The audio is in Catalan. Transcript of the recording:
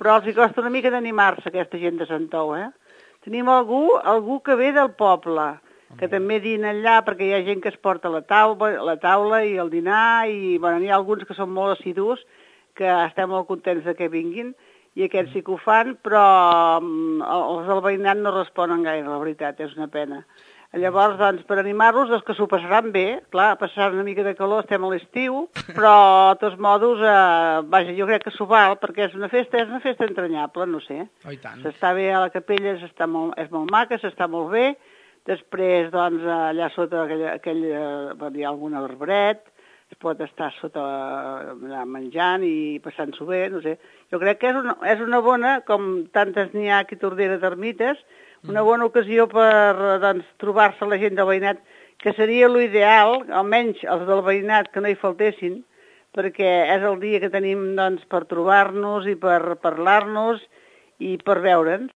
però els hi costa una mica d'animar-se, aquesta gent de Santou, Tenim algú que ve del poble, que també dina allà, perquè hi ha gent que es porta la taula i el dinar, i bueno, n'hi ha alguns que són molt assidus, que estem molt contents de que vinguin, i aquests sí que ho fan, però els del veïnat no responen gaire, la veritat, és una pena. Llavors, doncs, per animar-los, els que s'ho passaran bé, clar, passaran una mica de calor, estem a l'estiu, però, de tots modos, vaja, jo crec que s'ho val, perquè és una festa entranyable, no sé. Oh, i tant. S'està bé a la capella, és molt maca, s'està molt bé, després, doncs, allà sota hi ha algun arbret, es pot estar sota allà menjant i passant-s'ho bé, no sé. Jo crec que és una bona, com tantes n'hi ha aquí a Tordera d'ermites, una bona ocasió per doncs, trobar-se la gent del veïnat, que seria l'ideal, almenys els del veïnat, que no hi faltessin, perquè és el dia que tenim doncs, per trobar-nos i per parlar-nos i per veure'ns.